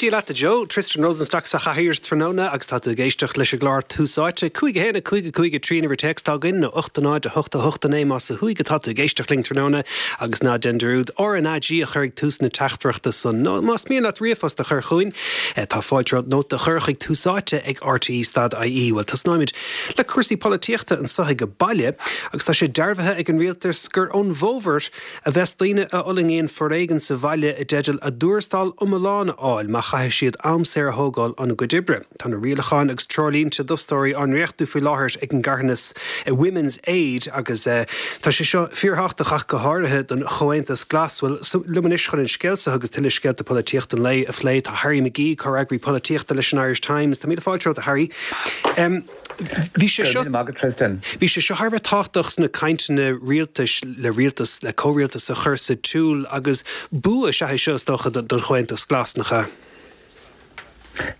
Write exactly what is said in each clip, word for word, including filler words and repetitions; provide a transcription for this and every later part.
Dia leat a Joe, Tristan Rosenstock sa chathaoir tráthnóna agus tá tú ag éisteacht leis an gclár Tús Áite cúig a haon a cúig a cúig a trí an uimhir téacs atá againn nó ocht a náid a hocht a hocht a naoi más ó thuaidh atá tú ag éisteacht linn tráthnóna agus ná déan dearúd R N A G a chur ag tús na teachtaireachta san. Nó más mian leat ríomhphost a chur chugainn, tá fáilte romhat nóta a chur chuig Tús Áite ag R T E stad I E. Well tosnóimid le cúrsaí polaitíochta anseo ag baile agus tá sé dearbhaithe ag an rialtas gur ón bhfómhar a bheas daoine a fhulaingíonn foréigean sa bhaile i dteideal a dtuarastal iomlán a fháil má chaithfidh siad am saor a thógáil óna gcuid oibre. Tá na rialacháin agus treoirlínte d'fhostóirí á ndréachtú faoi láthair ag an gcarthanas Women's Aid agus uh, tá sé seo fíorthábhachtach go háirithe don Chomhaontas Glas. Well liom anois chun an scéal seo agus tuilleadh scéalta polaitíochta an lae a phlé tá Harry McGee comhfhreagraí polaitíochta leis an Irish Times. Tá míle fáilte romhat, Harry. Um, Bhí sé seo Bhí sé seo thar a bheith tábhachtach sna cainteanna rialtais le rialtas le comhrialtas a chur sa tsiúl agus bua is ea é seo is dócha don Chomhaontas Glas nach ea.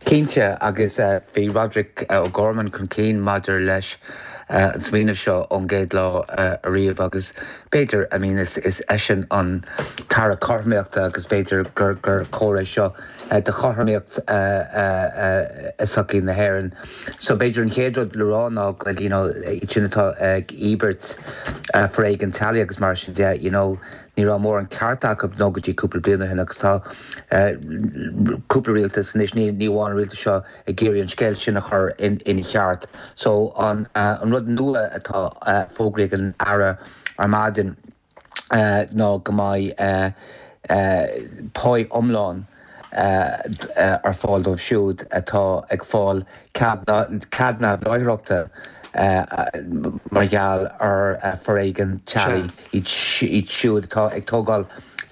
Cinnte agus uh, bhí Roderick uh, O'Gorman chun cinn maidir leis uh, an smaoineamh seo ón gcéad lá uh, ariamh agus b'fhéidir I mean, is, is eisean an tAire Cothromaíochta agus b'fhéidir gur gur cóir seo uh, de chothromaíocht uh, uh, uh, i sochaí na hÉireann. So b'fhéidir an chéad rud le rá ná you know, sin atá ag íobairt uh, foréigean teaghlaigh agus mar sin de you know, ní raibh mórán ceart acu nó go dtí cúpla bliain ó shin agus tá cúpla rialtas anois ní ní amháin rialtas seo ag iarraidh an scéal sin a chur in ina cheart. So an uh, an rud nua atá uh, fógraithe ag an Aire ar maidin uh, ná go mbeidh uh, uh, pá iomlán uh, uh, ar fáil dóibh siúd atá ag fáil cead neamhláithreachta uh, mar gheall ar uh, foréigean teaghlaigh iad siúd atá ag tógáil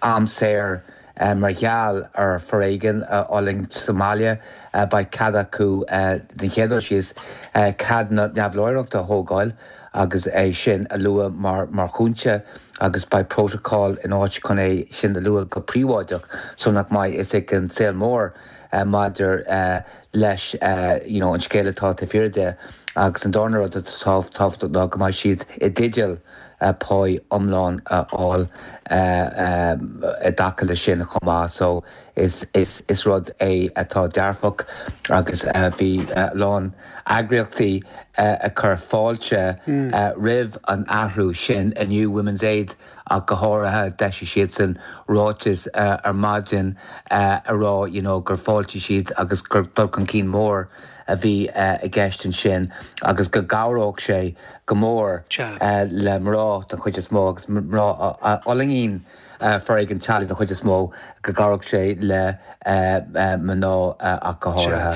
am saor uh, mar gheall ar foréigean uh, fhulaingt sa mbaile uh, beidh cead acu uh, den chéad síos uh, cead neamhláithreachta a thógáil agus é sin a lua mar mar chúinse agus beidh protocol in áit chun é sin a lua go príobháideach so nach mbeidh a fhios ag an saol mór uh, maidir uh, leis uh, you know, an scéal atá fíor de agus an darna rud tábhachtach ná go mbeidh siad i dteideal uh, pá iomlán a fháil i dtaca le sin chomh maith so is, is, is rud é atá dearfach agus uh, bhí uh, lán eagraíochtaí uh, ag cur fáilte mm. uh, roimh an athrú sin inniu Women's Aid ach go háirithe d'eisigh siad san ráiteas uh, ar maidin uh, a rá you know, gur fáiltigh siad agus gur dul chun cinn mór a bhí uh, i gceist ansin agus go gcabhródh sé go mór uh, le mná den chuid is mó agus mná a fhulaingíonn uh, foréigean teaghlaigh den chuid is mó go gcabhródh sé le uh, uh, mná uh, ach go háirithe.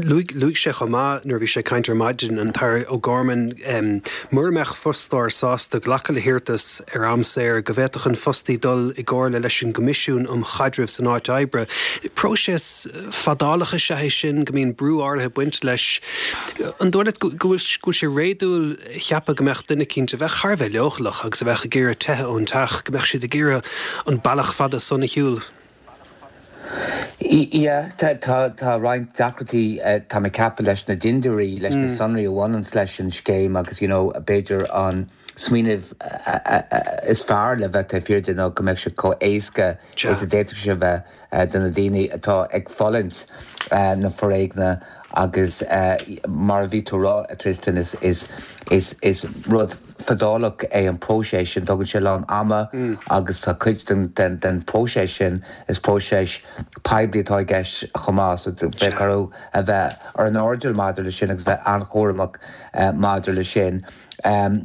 Luaigh sé chomh maith nuair bhí sé ag caint ar maidin an tAire O'Gorman um, mura mbeadh fostóir sásta glacadh le hiarratas ar am saor go bhféadfadh an fostaí dul i gcomhairle leis an gCoimisiún um Chaidreamh san áit oibre. Próiseas fadálach is ea é sin go mbíonn brú áirithe baint leis. An dóigh leat go bhfuil sé réadúil ceapadh go mbeadh duine éicint a bheith thar a bheith leochaileach agus a bheith ag iarraidh teitheadh ón teach go mbeadh siad ag iarraidh an bealach fada san a shiúl. Ia tá roinnt deacrachtaí tá mé ag ceapadh leis na dintiúirí leis na sonraí a bhaineann leis an scéim agus you know, b'fhéidir an smaoineamh is fearr le bheith fíor ná go mbeidh sé chomh héasca is a d'fhéadfadh sé bheith do na daoine atá ag fulaingt na foréigna agus mar a bhí tú rá a Tristan is, is, is, is rud fadálach é an próiseas sin tógann sé lán ama mm. agus tá cuid den, den, den próiseas sin is próiseas poiblí atá i gceist chomh maith so bheith orthu a bheith ar an airdeall maidir le sin agus bheith an-chúramach uh, maidir le sin. Um,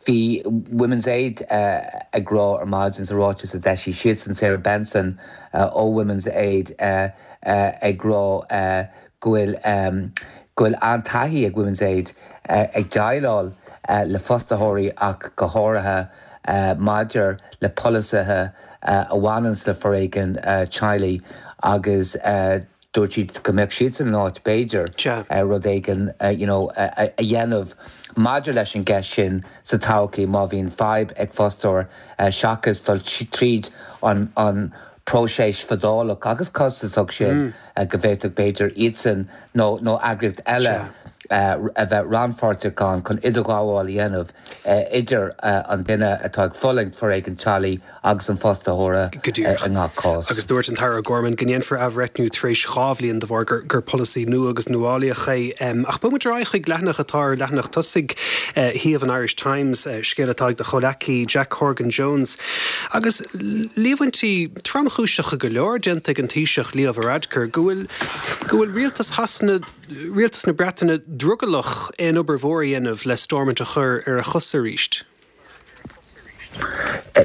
Bhí Women's Aid uh, ag rá ar maidin sa ráiteas a d'eisigh siad san Sarah Benson uh, ó Women's Aid uh, uh, ag rá uh, go bhfuil um, go bhfuil an-taithí ag Women's Aid uh, ag déileáil uh, le fostaitheoirí ach go háirithe uh, maidir le polasaithe uh, a bhaineann le foréigean uh, teaghlaigh agus uh, dúirt siad go mbeadh siad san áit b'fhéidir uh, rud éigin uh, you know, a, a, a dhéanamh maidir leis an gceist sin sa todhchaí má bhíonn fadhb ag fostóir uh, seachas dul tríd an, an próiseas fadálach agus costasach sin mm. uh, go bhféadfadh b'fhéidir iadsan nó nó eagraíocht eile a bheith rannpháirteach ann chun idirghabháil a dhéanamh idir an duine atá ag fulaingt foréigean teaghlaigh agus an fostóir i ngach cás. Agus dúirt an tAire O'Gorman go ndéanfar athbhreithniú tar éis dhá bhliain de bharr gur gur polasaí nua agus nuálaíoch é. Ach bogfaidh muid ar aghaidh chuig leathanach atá ar leathanach tosaigh shuíomh an Irish Times, scéal atá ag do chomhleacaí Jack Horgan Jones. Agus líomhaintí tromchúiseacha go leor déanta ag an Taoiseach Leo Varadkar go bhfuil go bhfuil rialtas Shasana rialtas na Breataine drogallach aon obair mhór a dhéanamh le Stormont a chur ar a chosa arís.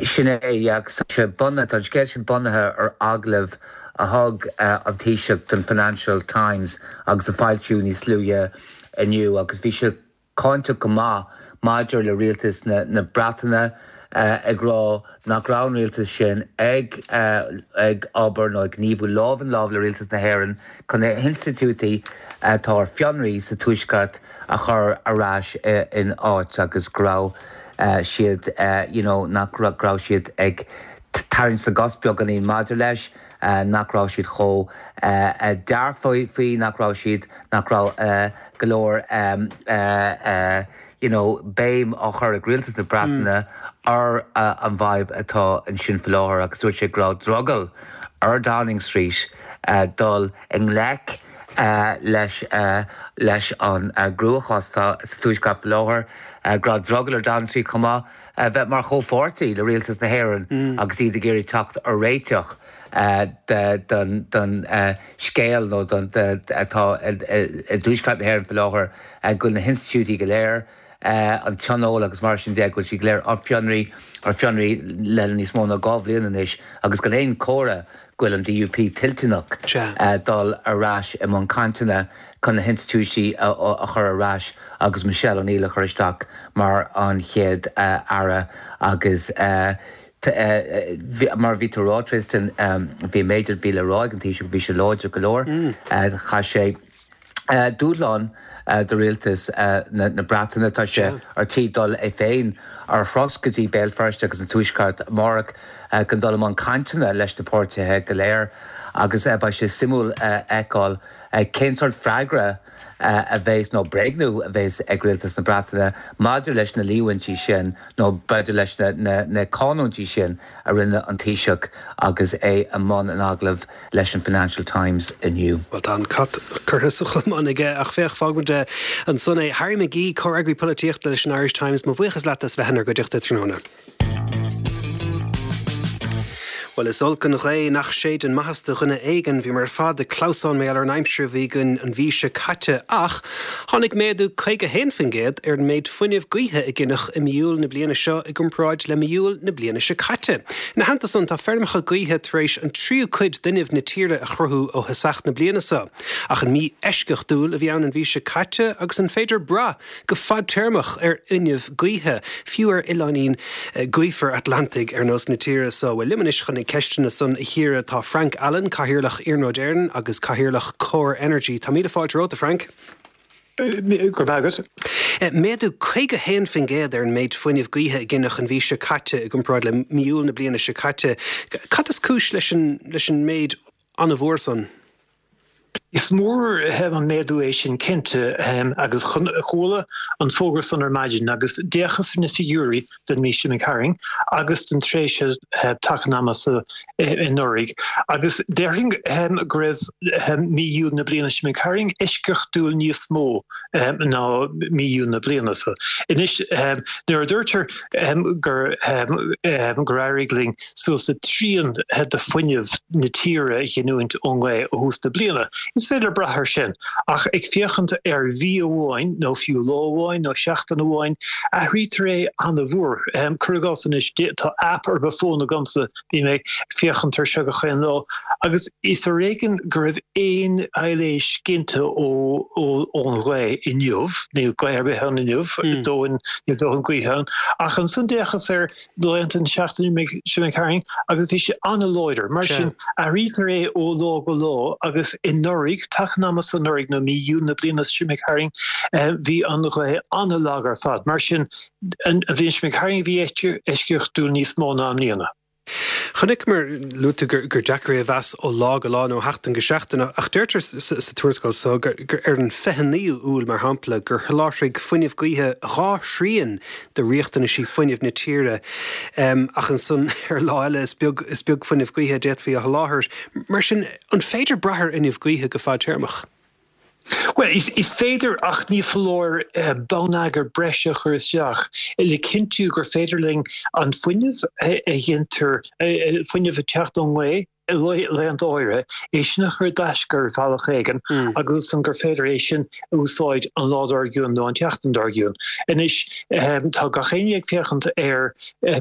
Sin é agus sé bunaithe an scéal sin bunaithe ar agallamh a thug an Taoiseach don Financial Times agus a foilsíodh níos luaithe inniu agus bhí sé cáinteach go maith maidir le rialtas na, na Breataine ag rá nach raibh an rialtas sin ag ag obair nó ag gníomhú lámh in lámh le rialtas na hÉireann chun na hinstitiúidí atá ar fionraí sa tuaisceart a chur ar ais in áit agus go raibh siad you know, nach raibh siad ag tarraingt na gcos beagáinín maidir leis nach raibh siad chomh dearfach faoi nach raibh siad nach raibh go leor you know, béim á chur ag rialtas na Breataine ar an bhfadhb atá ansin faoi láthair agus dúirt sé go raibh drogall ar Downing Street dul i ngleic leis leis an gcruachás atá sa tuaisceart faoi láthair, go raibh drogall ar Downing Street chomh maith bheith mar chomhpháirtí le rialtas na hÉireann agus iad ag iarraidh teacht ar réiteach don don scéal nó don atá i dtuaisceart na hÉireann faoi láthair go bhfuil na hinstitiúidí go léir an tionól agus mar sin de go bhfuil siad go léir ar fionraí ar fionraí le níos mó ná dhá bhliain anois agus gan aon chomhartha go bhfuil an DUP toilteanach dul ar ais i mbun cainteanna chun na hinstitiúidí a chur ar ais agus Michelle O'Neill a chur isteach mar an chéad aire agus mar bhí tú rá Tristan bhí méid a bhí le rá ag an Taoiseach bhí sé láidir go leor chaith sé dúshlán do rialtas na Breataine tá sé ar tí dul é féin ar thuras go dtí Béal Feirste agus an Tuaisceart amárach chun dul i mbun cainteanna leis na páirtithe go léir agus beidh sé suimiúil fheiceáil cén sórt freagra a bheas nó bréagnú a bheas ag rialtas na Breataine maidir leis na líomhaintí sin nó b'fhéidir leis na, na, na cánaintí sin a rinne an Taoiseach agus é i mbun an agallaimh leis an Financial Times inniu. Well tá an cat curtha sa cholmán aige ach féach fágfaidh muid ansan é Harry McGee comhfhreagraí polaitíochta leis an Irish Times mo bhuíochas leat as bheith inár gcuideachta tráthnóna. Well is olc an ghaoth nach séideann maitheas do dhuine éigin bhíomar ar fad ag clamhsán mar gheall ar an aimsir a bhí againn an mhí seo caite ach tháinig méadú caoga haon faoin gcéad ar an méid fuinnimh gaoithe a gineadh i mí Iúil na bliana seo i gcomparáid le mí Iúil na bliana seo caite. Ina theannta san tá feirmeacha gaoithe tar éis an tríú cuid d'fhuinneamh na tíre a chruthú ó thosach na bliana seo. Ach an mí eisceachtúil a bhí ann an mhí seo caite agus an féidir brath go fadtéarmach ar fhuinneamh gaoithe, fiú ar oileáinín gaofar Atlantaigh ar nós na tíre seo. Well liom anois chun na ceisteanna san a chíoradh tá Frank Allen, Cathaoirleach Iarnród Éireann agus Cathaoirleach Core Energy. Tá míle fáilte romhat, Frank. Go raibh maith agat. Méadú caoga haon faoin gcéad ar an méid fuinnimh gaoithe a gineadh an mhí seo caite i gcomparáid le mí Iúil na bliana seo caite. Cad is cúis leis an leis an méid an-mhór san? Is mór an méadú é sin cinnte agus chuala an fógra san ar maidin agus d'fhéachas ar na figiúirí don mhí seo imigh tharainn agus don tréimhse taca an ama seo anuraidh agus déarfainn go raibh mí Iúil na bliana seo imigh tharainn eisceachtúil níos mó ná mí Iúil na bliana seo. Anois nuair a deirtear gur gur éirigh linn suas le trian de fuinneamh na tíre a ghiniúint ón ngaoth ó thús na bliana, Is féidir brath air sin, ach ag féachaint ar mhí amháin, nó fiú lá amháin nó seachtain amháin, athraítear é an-mhór. Cuir i gcás anois, tá aip ar mo fón agamsa, bím ag féachaint air seo gach aon lá, agus is ar éigean go raibh aon aibhléis ginte ón ghaoth inniu, níl gaoth ar bith ann inniu, dóthain, níl dóthain gaoithe ann, ach ansan d'fhéachas ar laethanta na seachtaine seo imigh tharainn agus bhí sé an-láidir. Mar sin, athraítear é ó lá go lá agus anuraidh, taca an ama seo anuraidh nó mí Iúil na bliana seo imigh tharainn, bhí an ghaoth an-lag ar fad. Mar sin, an bhliain seo imigh tharainn bhí eisceachtúil níos mó ná i mbliana. Chonaiceamar, luaigh tú gur deacair é a mheas ó lá go lá nó ó sheachtain go seachtain, ach deirtear sa tuarascáil so gur ar an fiche naoú Iúil, mar shampla, gur sholáthraigh fuinneamh gaoithe dhá thrian de riachtanaisí fuinnimh na tíre, ach ansan ar lá eile is beag is beag fuinneamh gaoithe a d'fhéadfaí a sholáthar. Mar sin, an féidir brath ar fhuinneamh gaoithe go fadtéarmach? Bhuel, is féidir ach ní foláir bonneagar breise a chur isteach le cinntiú gur féidir linn an fuinneamh a ghintear, fuinneamh ag teacht ón ngaoth i laethanta áirithe, é sin a chur i dtaisce ar bhealach éigin agus ansan gur féidir é sin a úsáid an lá dár gcionn nó an tseachtain dár gcionn. Anois, tá gach éinne ag féachaint ar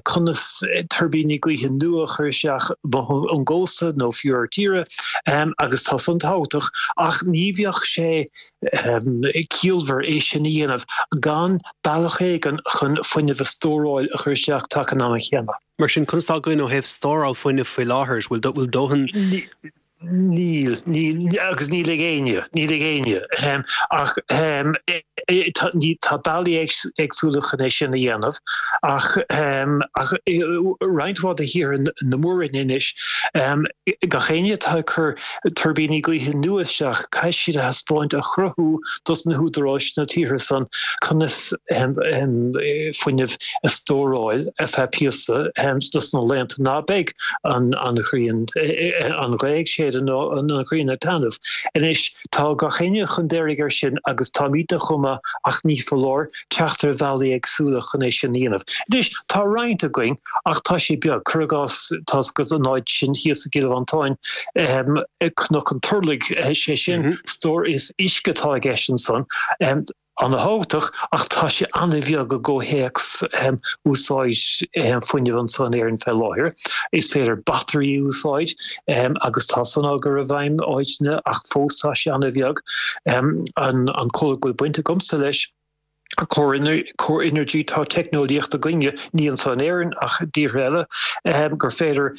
conas tuirbíní gaoithe nua a chur isteach ón gcósta nó fiú ar tíre agus tá san tábhachtach ach ní bheadh sé ciallmhar é sin a dhéanamh gan bealach éigin chun fuinneamh a stóráil a chur isteach taca an ama chéanna. Mar sin, conas tá againn ó thaobh stóráil fuinnimh faoi láthair? Bhfuil dóthain? Níl, níl, agus níl ag éinne, níl ag éinne. Ach tá bealaí éagsúla chun é sin a dhéanamh ach ach roinnt mhaith de thíortha na mór-roinne anois, gach éinne atá ag cur tuirbíní gaoithe nua isteach, caithfidh siad a thaispeáint, a chruthú dos na húdaráis sna tíortha san conas fuinneamh a stóráil ar feadh píosa dos na laethanta ná beidh an ghrian, an ghaoth ag séideadh nó an ghrian ag taitneamh. Anois, tá gach éinne chun deiridh air sin agus táimidne chomh maith ach ní foláir teacht ar bhealaí éagsúla chun é sin a dhéanamh. Anois, tá roinnt againn ach tá sé beag. Cuir i gcás, tá's agat an áit sin thíos i gCill Mhantáin, Cnoc an Turlaigh, sé sin, stór is uisce atá i gceist ansan. Ana-thábhachtach, ach tá sé an-bheag i gcomhthéacs úsáid fuinnimh anso in Éirinn fé láthair. Is féidir batairí a úsáid agus tá san á gcur i bhfeidhm áiteanna ach fós tá sé an-bheag. An comhlacht go bhfuil baint agamsa leis, Core Energy, tá teicneolaíocht againne, ní anso in Éirinn ach i dtíortha eile, gur féidir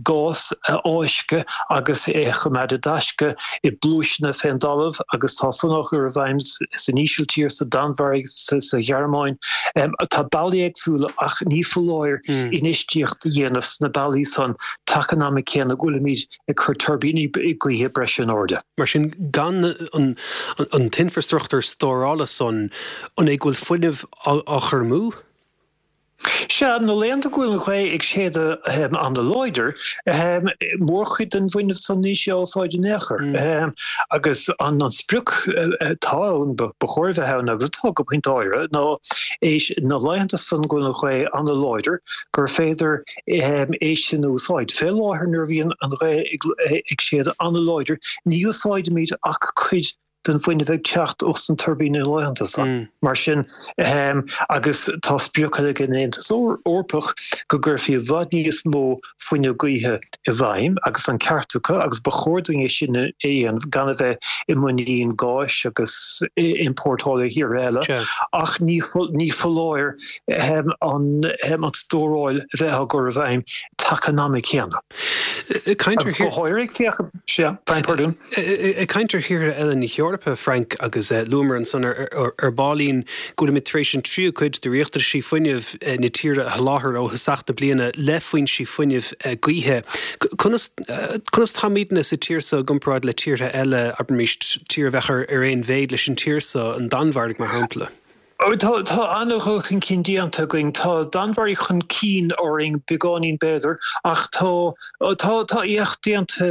gás a fháisceadh agus é a choimeád i dtaisce i bpluaiseanna fén dtalamh agus tá san á chur i bhfeidhm san Ísiltír, sa Danmhairg, sa Ghearmáin. Tá bealaí éagsúla ach ní foláir infheistíocht a dhéanamh sna bealaí san taca an ama céanna go bhfuilimid ag cur tuirbíní gaoithe breise in airde. Mar sin, gan an t-infreastruchtúr stórála san, an é go bhfuil fuinneamh á chur amú? Sea, na laethanta go bhfuil an ghaoth ag séideadh an-láidir, mórchuid den bhfuinneamh san níl sé á úsáid in aon chor. Agus an sprioc atá ann, ba chóir a bheith ann, agus atá go pointe áirithe, ná é na laethanta san go bhfuil an ghaoth an-láidir, gur féidir é sin a úsáid. Fé láthair nuair a bhíonn an ghaoth ag séideadh an-láidir, ní úsáidimid ach cuid den bhfuinneamh ag teacht ós na tuirbíní na laethanta san. Mar sin, agus tá sprioc ag an Aontas Eorpach go gcuirfí i bhfad níos mó fuinneamh gaoithe i bhfeidhm agus an ceart acu agus ba chóir dúinn é sin a dhéanamh gan a bheith i muinín gáis agus iompórtáil ó thíortha eile ach ní foláir an stóráil a bheith á gcur i bhfeidhm taca an ama céanna. Ag caint ar Agus go háirithe ag féachaint, sea, pardún. Ag caint ar thíortha eile na hEorpa, Frank, agus luamar ansan ar baillín go bhfuilimid tar éis an tríú cuid de riachtanaisí fuinnimh na tíre a sholáthar ó thosach na bliana le foinsí fuinnimh gaoithe. Conas conas táimidne sa tír seo i gcomparáid le tíortha eile, abraimis tír a bheadh ar aon mhéid leis an tír seo, an Danmhairg mar shampla? Tá tá an-dhul chun cinn déanta againn. Tá Danmhairg chun cinn orainn beagáinín b'fhéidir, ach tá tá tá éacht déanta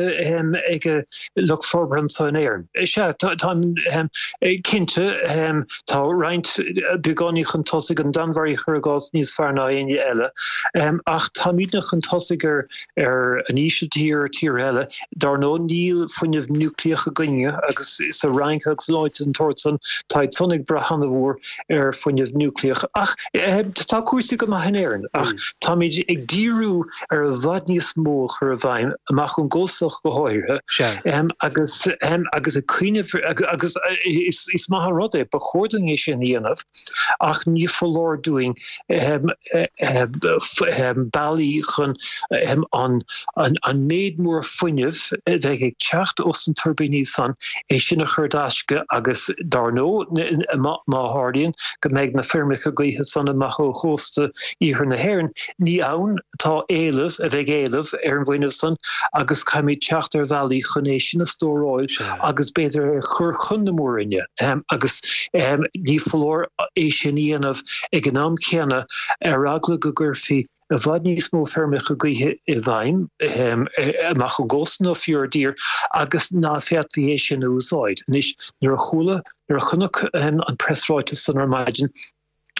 ag lucht forbartha anseo in Éirinn. Sea, tá cinnte, tá roinnt beagáinín chun tosaigh, an Danmhairg cuir i gcás níos fearr ná éinne eile, ach táimidne chun tosaigh ar ar an Ísiltír, tíortha eile. Dar ndóigh, níl fuinneamh núicléach againne agus sa Fhrainc agus in áiteanna den tsórt san, táid san ag brath an-mhór ar fuinneamh núicléach. Ach tá cúrsaí go maith in Éirinn ach táimid ag díriú ar i bhfad níos mó a chur i bhfeidhm, amach ón gcósta go háirithe, agus agus ag cuimhneamh agus is maith an rud é, ba chóir dúinn é sin a dhéanamh ach ní foláir dúinn bealaí chun an méid mór fuinnimh a bheidh ag teacht ós na tuirbíní san, é sin a chur i dtaisce agus dar ndóigh má tharlaíonn go mbeidh na feirmeacha gaoithe san amach ó chósta iarthar na hÉireann, ní ann atá éileamh a bheidh éileamh ar an bhfuinneamh san agus caithfimid teacht ar bhealaí chun é sin a stóráil agus b'fhéidir a chur chun na mór-roinne agus ní foláir é sin a dhéanamh ag an am céanna ar eagla go gcuirfí i bhfad níos mó feirmeacha gaoithe i bhfeidhm amach ón gcósta nó fiú ar dtír agus ná féadfaí é sin a úsáid. Anois, nuair a chuala, nuair a chonac an preasráiteas san ar maidin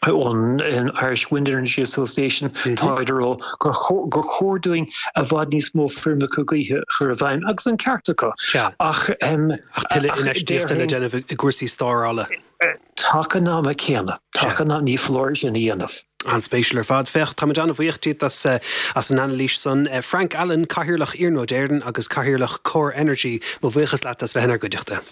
ón Irish Wind Energy Association, táid ag rá gur gur chóir dúinn i bhfad níos mó feirmeacha gaoithe a chur i bhfeidhm, agus an ceart acu. Ach Ach tuilleadh infheistíochta le déanamh i gcúrsaí stórála. Taca an ama céanna, taca an ní foláir sin a dhéanamh. An-spéisiúil ar fad. Féach, táimid an-bhuíoch díot as as an anailís san. Frank Allen, Cathaoirleach Iarnród Éireann agus Cathaoirleach Core Energy, mo bhuíochas leat as bheith inár gcuideachta.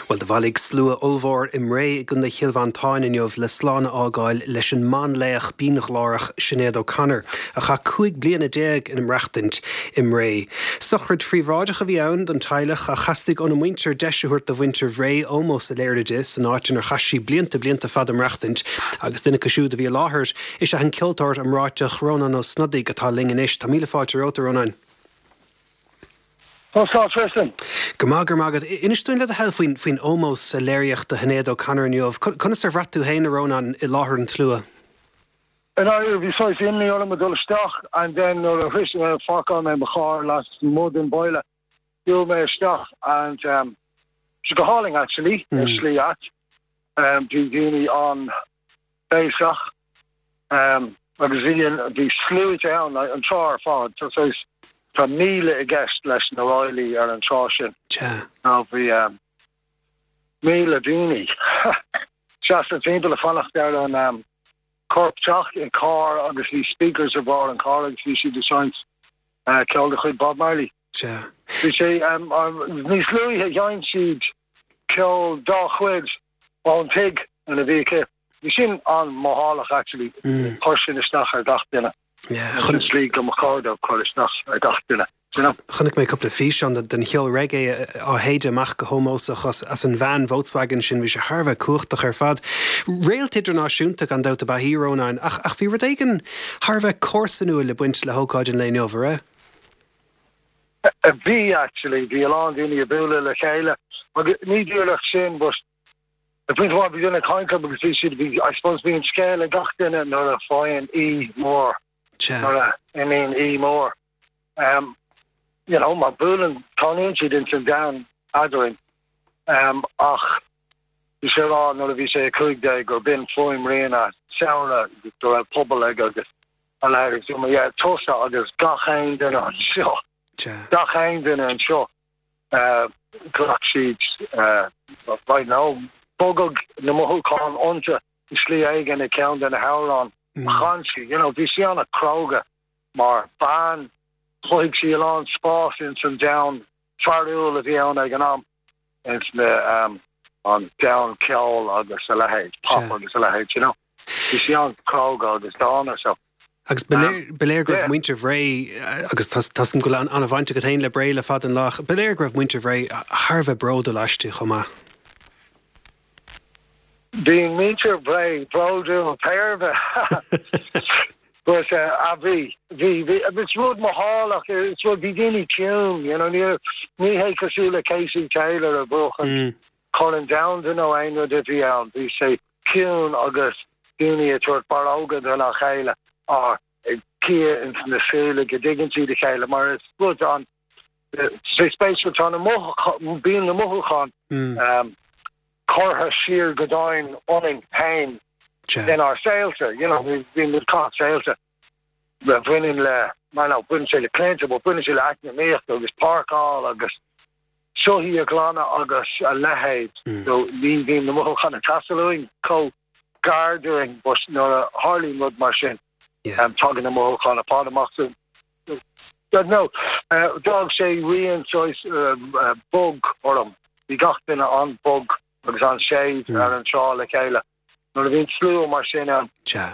Bhuel, do bhailigh slua ollmhór i mBré i gContae Chill Mhantáin inniu le slán a fhágáil leis an mbanlaoch bínghlórach Sinéad O'Connor, a chaith cúig bliana déag ina maireachtaint i mBré. Sochraid phríobháideach a bhí ann don teaghlach ach theastaigh óna muintir deis a thabhairt do mhuintir Bhré ómós a léiriú di san áit inar chaith sí blianta blianta fada maireachtaint agus duine acu siúd a bhí i láthair is ea an ceoltóir iomráiteach Rónán Ó Snodaigh atá linn anois. Tá míle fáilte romhat, a Rónáin. Tá slán freisin. Go maith go maith agat. Inis dúinn le do thoil faoin faoin ómós a léiríodh do Shinéad O'Connor inniu. Conas ar bhraith tú féin a Rónáin i láthair an tslua? And I bhí saghas imní orm ag dul isteach and then nuair a shroich pháirceáil mé mo charr lasmuigh den baile shiúil mé isteach and um, sé go hálainn actually mm. slí ait um, bhí daoine an-bhéasach um, agus bhí bhí sluaite ann an trá ar fad so saghas tá míle i gceist leis na ráillí ar an trá sin. Ná bhí um, míle daoine seasta timpeall ag fanacht ar an um, corp teacht i carr agus bhí speakers ar bharr an car agus bhí siad ag seinnt uh, ceol de chuid Bob Marley. Bhí sé um, um, níos luaithe sheinn siad ceol dá chuid ón tigh ina bhí aici. Bhí sin an-mhothálach actually mm. chuir sin isteach ar gach duine. Chun slí go chóir chur isteach ar gach duine. Chonaic mé cúpla físeán den cheol reggae á shéideadh amach go hómósach as, as an veain Volkswagen sin bhí sé thar a bheith cumhachtach ar fad. Réalt idirnáisiúnta gan dabht ab ea í a Rónáin ach ach bhí rud éigin thar a bheith comharsanúil le baint le hócáid an lae inniu a? Bhí actually bhí a lán daoine ag bualadh le chéile agus ní díreach sin but The point bhí duine caint agus bhí siad bhí I suppose bhí an scéal ag gach duine nuair a faigheann aoi mór nuair a imíonn aoi mór. Um, you know, mar buaileann tarlaíonn siad ins an domhan eadrainn um, ach bhí sé rá nuair a bhí sé cúig déag gur b'in fuaimrian a saoire go raibh pobal ag agus a leithéid so yeah, tusa agus gach aon duine anseo gach aon duine anseo uh, ghlac siad uh, right now bogadh na mothúcháin iontu i slí éigin i ceann de na hamhráin mm. chan sí you know bhí sí an-chróga mar bean chothaigh sí a lán spás ins an domhan fearúil a bhí ann ag an am ins na um, an domhan ceol agus a leithéid pop agus a leithéid you know bhí sí an-chróga agus dána so Agus ba léir go raibh muintir Bhré agus tá go an-bhaint agat féin le Bré le fada an lá, ba léir go raibh muintir Bhré thar a bheith bródúil aisti chomh maith. Bhí muintir Bhré bródúil peirbe. But uh, a bhí bhí bhí is rud mothálach is rud bhí daoine ciúin you know ní ní hé cosúil le Casey Taylor a buachan mm. Corn Domhanda nó aon rud a bhí ann bhí sé ciúin agus daoine ag tabhairt barróga dá chéile á cia ins na súile go dtuigeann siad a chéile mar is rud an sé spéisiúil tá na bíonn na mothúcháin mm. um, curtha siar go domhain ionainn féin inár saolta you know bhí muid caitheamh saolta le bhaineann le mar nó baineann sé le clainte bo baineann sé le eacnamaíocht agus páirceáil agus soithí a ghlanadh agus a leithéid mm. so ní bhíonn na mothúcháin ag teastáil uainn chomh gar dúinn but nuair a tharlaíonn rud mar sin um, tagann na mothúcháin ar fad amach so Don't know. Uh, D'fhág sé rian saghas uh, uh, bog orm. Bhí gach duine an-bhog agus an-séimh mm. ar an trá le chéile. Nuair a bhíonn slua mar sin ann.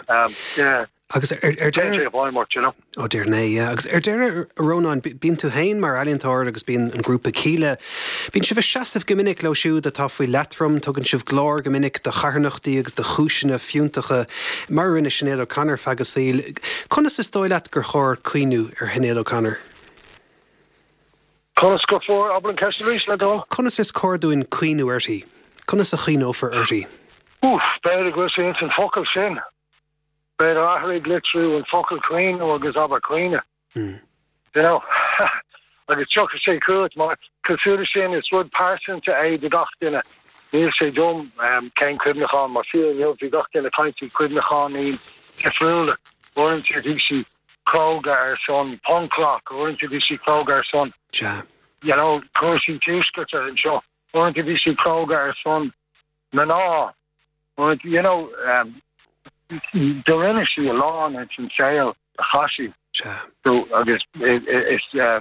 Um, yeah. Agus ar deireadh Ó dear né, yeah. Agus ar deireadh Rónán bíonn tú féin mar ealaíontóir agus bíonn an grúpa Kíla. Bíonn sibh ag seasamh go minic leo siúd atá faoi leatrom, tugann sibh glór go minic do charthanachtaí agus do chúiseanna fiúntacha mar rinne Sinéad O'Connor feadh a saoil. Conas is dóigh leat gur chóir cuimhniú ar Shinéad O'Connor? Conas gur chóir abair an cheist arís le do? Conas is cóir dúinn cuimhniú uirthi? Conas a chuimhneofar uirthi? Uf, b'fhéidir go bhfuil sé ins an focal sin. B'fhéidir athraigh litriú an focal cuimhniú agus abair caoineadh. Mm. You know agus tiocfaidh sé chugat mar cosúil leis sin is rud pearsanta é do gach duine. Níl sé dom um, cén cuimhneachán mar fiú inniu bhí gach duine caint cuimhneacháin difriúla. Uaireanta bhí sí cróga ar son punk rock, uaireanta bhí sí cróga ar son. Ja. You know, cúrsaí tuaisceart anseo. Uaireanta bhí sí cróga ar son mná. Uaireanta, you know, um, do rinne sí a lán ins an saol a chaith sí. Ja. So agus is uh,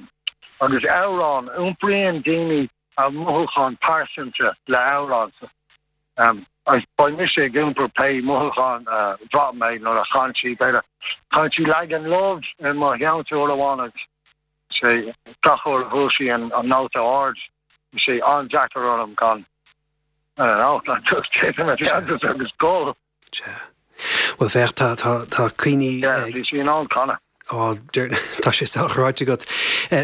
agus amhrán iompraíonn daoine a mothúchán pearsanta le amhrán. Um, agus beidh mise ag iompar pé mothúchán uh, bhraith mé nuair a chan sí b'fhéidir chan sí Lagan Love in mo cheantar amháin sé gach uair a bhuail sí an an nóta ard sé an-deacair orm gan I don't know, gan just agus agus gol. Ja. Well féach tá tá tá cuimhní bhí sí in ann canadh. Ó tá sé sách ráite agat.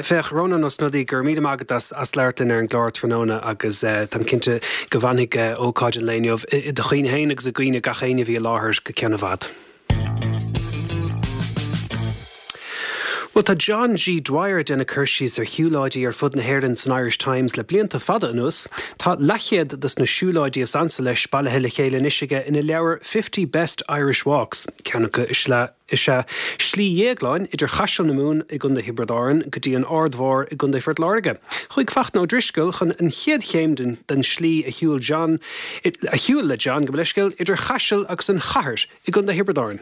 Féach Rónán Ó Snodaigh go raibh míle maith agat as as labhairt linn ar an gclár tráthnóna agus táim cinnte go bhfanfaidh ócáid an lae inniu i do chuimhne féin agus i gcuimhne gach éinne a bhí i láthair go ceann i bhfad. Well tá John G. Dwyer déanamh cur síos ar shiúlóidí ar fud na hÉireann san Irish Times le blianta fada anuas, Tá leathchéad dos na siúlóidí is ansa leis bailithe le chéile anois aige ina leabhar fifty Best Irish Walks, ceann acu is ea Slí Dhéagláin idir Chaiseal na Mumhan i gContae Thiobraid Árann go dtí an Aird Mhór i gContae Phort Láirge. Chuaigh Fachtna Ó Drisceoil chun an chéad chéim den, den slí a shiúil John, a shiúl le John go leiscéil idir Chaiseal agus an Chathair i gContae Thiobraid Árann.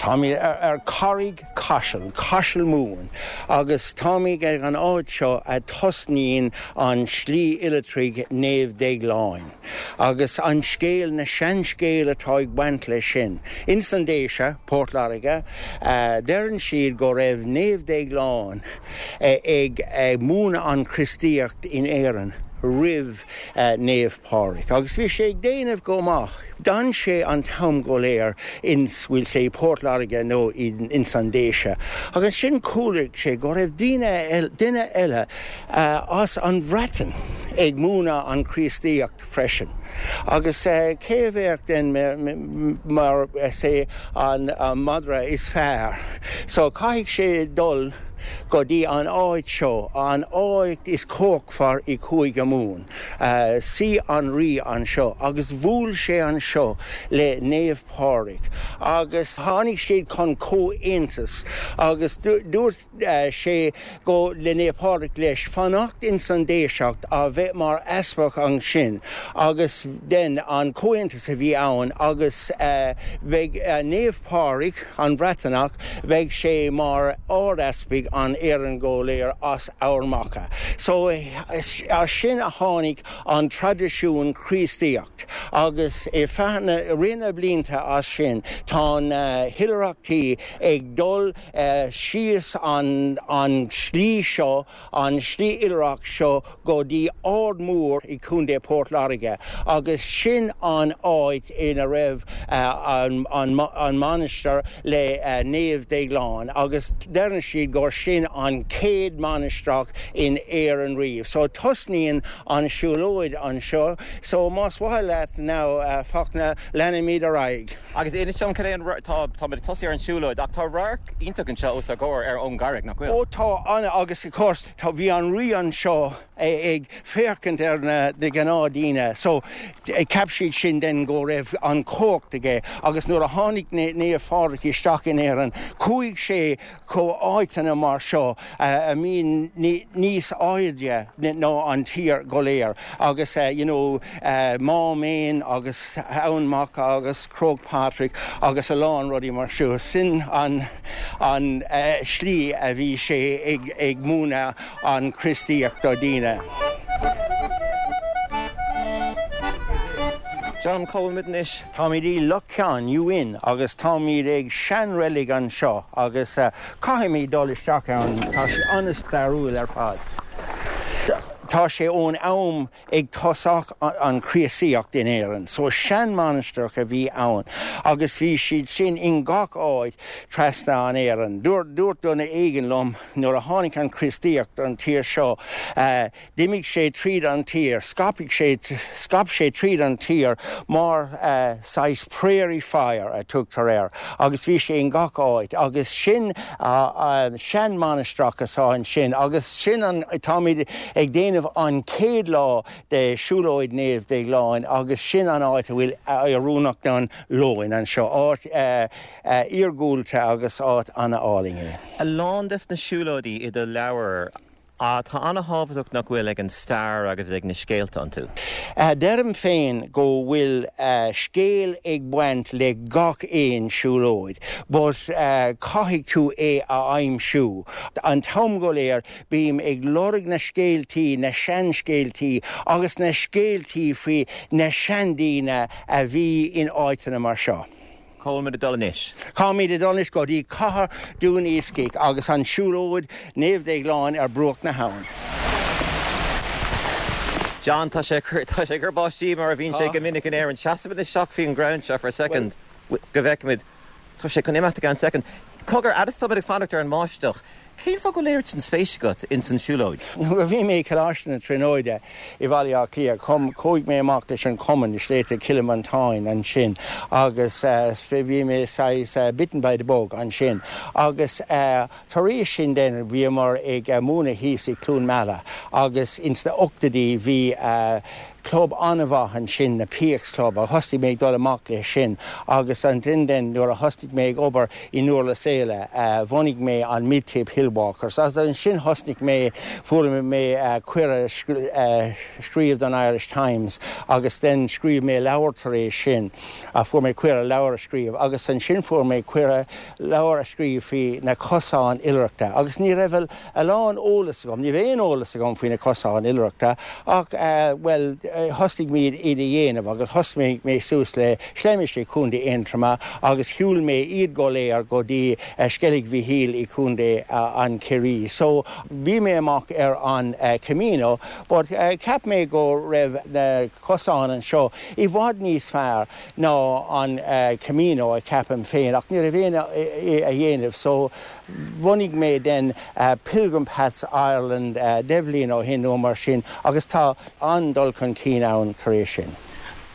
Táimid ar, ar Carraig Caiseal, Caiseal Mumhan, agus táimid ag an áit seo a tosnaíonn an slí oilithrigh Naomh Déagláin. Agus an scéal na seanscéal atá ag baint leis sin. Ins an Déise, Port Láirge, uh, deireann siad go raibh Naomh Déaglán uh, ag uh, múineadh an Chríostaíocht in Éirinn roimh uh, Naomh Pádraig. Agus bhí sé ag déanamh go maith. D'fhan sé an t-am go léir ins we'll say Port Láirge nó in, ins an Déise. Agus sin chuala sé go raibh duine duine eile uh, as an Bhreatain ag múineadh an Chríostaíocht freisin. Agus uh, cé bheadh den mar uh, sé an, an madra is fearr. So caithfidh sé dul go dtí an áit seo, an áit is cócfar i Cúige Mumhan. Uh, sí an rí anseo, agus bhuail sé anseo le Naomh Pádraig. Agus tháinig siad chun comhaontas, agus dúirt uh, sé go le Naomh Pádraig leis fanacht ins an Déiseacht a bheith mar easpag ansin, agus den an comhaontas a bhí ann, agus uh, bheidh uh, Naomh Pádraig an Bhreatnach, bheidh sé mar ard-easpag an Éireann go léir as Ard Mhacha. So as sin a tháinig an traidisiún Críostaíocht, agus i feadh na roinnt blianta as sin tá uh, hoilithreachtaí ag dul uh, síos an, an slí seo an slí oilithreach seo go dtí Ard Mór i Contae Port Láirge, agus sin an áit ina raibh uh, an, an, an mainistir le uh, Naomh Déaglán, agus deireann siad gur sin an chéad mainistreach in Éirinn riamh. So tosnaíonn an siúlóid anseo, so más mhaith leat now uh, Fachtna leanfaimid ar aghaidh. Agus inis dom cad é an tá tá tosaí ar an siúlóid ach tá radharc iontach anseo os ár gcomhair ar ón gcarraig nach bhfuil. Ó tá an agus of course tá bhí an rí anseo ag féachaint ar na de gnáthdhaoine, so cheap siad sin den go raibh an chumhacht aige, agus nuair a tháinig Naomh Pádraig isteach in Éirinn, chuaigh sé go áiteanna mar seo a mbíonn níos airde ná an tír go léir agus you know Máméin agus Eamhain Mhacha agus Croagh Patrick agus a lán rudaí mar seo. Sin an an slí a bhí sé ag ag múineadh an Chríostaíocht do daoine. John cá bhfuilimid anois. Táimid i Loch Ceann, New Inn, agus táimid ag seanreilig anseo agus caithfimid dul isteach ann, tá sé an-stairiúil ar fad. Tá sé ón am ag tosach an Chríostaíocht in Éirinn, so seanmhainistreach a bhí ann agus bhí siad sin in gach áit trasna an Éirinn. Dúirt dúirt duine éigin liom nuair a tháinig an Chríostaíocht an tír seo, D'imigh sé tríd an tír, scaipfidh sé, scaip sé tríd an tír mar saghas prairie fire a tugtar air agus bhí sé in gach áit agus sin seanmhainistreach atá ansin agus sin an, táimid ag déanamh an chéad lá de Siúlóid Naomh Déagláin agus sin an áit a bhfuil oiriúnach don lóin anseo, áit iargúlta agus áit an-álainn é. A lán des na siúlóidí i do leabhar Tá an-tábhachtach nach bhfuil ag an stair agus ag na scéalta iontu. Deirim féin go bhfuil scéal ag baint le gach aon siúlóid, but caithfidh tú é a aimsiú. An t-am go léir bím ag lorg na scéaltaí, na seanscéaltaí agus na scéaltaí faoi na seandaoine a bhí in áiteanna mar seo. Cá bhfuilimid ag dul anois? Táimid ag dul anois go dtí cathair Dún Iascaigh agus an siúlóid Naomh Déagláin ar bruach na habhann. John, tá sé tá sé ag cur báistí mar a bhíonn sé go minic in Éirinn. Seasfaimid isteach faoin gcrann seo for a second go bhfeicimid. Tá sé chun imeacht i gceann second. Cogar, fhad is táimid ag fanacht ar an mbáisteach, cén fáth go bhfuil oiread sin spéis agat ins an siúlóid? Nuair a bhí mé i Coláiste na Tríonóide i Bhaile Átha Cliath, chuaigh mé amach leis an cumann i Sléibhte Chill Mhantáin ansin agus bhí mé saghas bitten by the bug ansin agus tar éis sin then bhíomar ag múineadh thíos i Cluain Meala agus ins na ochtóidí bhí club an-mhaith ansin, na P X Club, a thosaigh mé ag dul amach leis sin agus ansin then nuair a thosaigh mé ag obair i nDurlas Éile bhunaigh mé an Mid Tipp Hillwalkers agus ansin thosnaigh mé, fuair mé cuireadh scríobh don Irish Times agus then scríobh mé leabhar tar éis sin, fuair mé cuireadh leabhar a scríobh agus ansin fuair mé cuireadh leabhar a scríobh faoi na cosáin oilithreachta agus ní raibh a lán eolas agam, ní raibh aon eolas agam faoi na cosáin oilithreachta ach bhuel thosaigh muid iad a dhéanamh agus thosnaigh mé suas le Sléibhe i Contae Aontroma agus shiúil mé iad go léir go dtí Sceilg Mhichíl i Contae an Chiarraí. So bhí mé amach ar an Camino but cheap mé go raibh na cosáin anseo i bhfad níos fearr ná an Camino a cheapaim féin ach ní raibh aon a dhéanamh so bhunaigh mé den Pilgrim Paths Ireland deich mbliana ó shin nó mar sin agus tá an-dul chun cinn ann tar éis sin.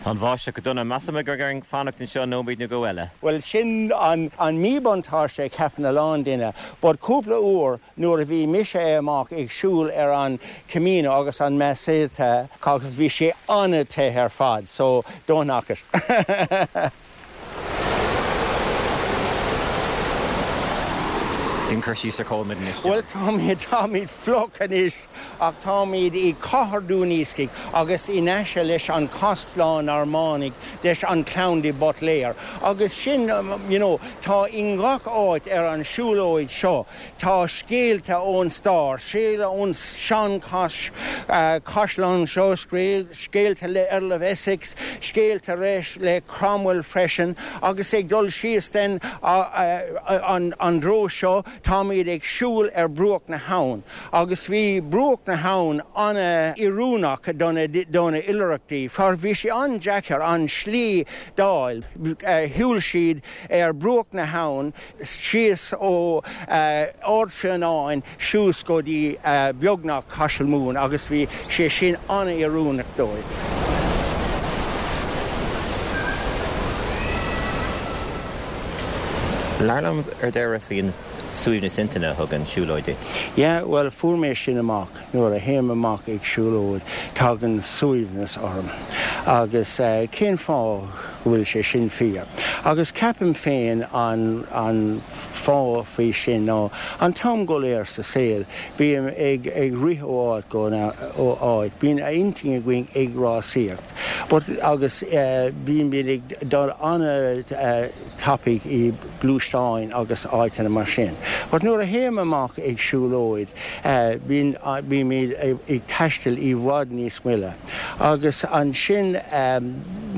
Tá an bháisteach go dona. Measaim gur orainn fanacht anseo nóiméad nó dhó eile. Bhuel, sin an míbhuntáiste a cheapann a lán duine, but cúpla uair nuair a bhí mise amach ag siúl ar an Camino agus an Meseta agus bhí sé an-te ar fad, so don't knock it. Déan cur síos ar cá bhfuilimid anois, Bhuel, táimid, táimid fliuch anois ach táimid i cathair Dún Iascaigh agus in aice leis an Caisleán Normannach leis an clann de Buitléir agus sin, you know, tá i ngach áit ar an siúlóid seo, tá scéalta ón stair, scéalta ón sean chaisleán seo, scéalta le Earl of Essex, scéalta le Cromwell freisin agus ag dul síos den an dtreo seo táimid ag siúl ar bruach na habhann agus bhí bruach na habhann an-oiriúnach do na oilithreachtaí mar bhí sé an-deacair an slí d'fháil. Shiúil siad ar bruach na habhann síos ó Ard Fionáin suas go dtí beagnach Caiseal Mumhan agus bhí sé sin an-oiriúnach dóibh. Labhair liom ar deireadh faoin suaimhneas intinne a thugann siúlóid duit. Yeah, bhuel, fuair mé sin amach nuair a théim amach ag siúlóid, tagann suaimhneas orm. Agus cén fáth go bhfuil sé sin fíor? Agus ceapaim féin an an fáth faoi sin ná an t-am go léir sa saol bím ag ag rith ó áit go ó áit, bíonn a intinn againn ag rásaíocht. But agus bíonn bíonn ag dul an-tapaidh i gluaisteáin agus áiteanna mar sin. But nuair a théim amach ag siúlóid bíonn bímid ag taisteal i bhfad níos moille. Agus ansin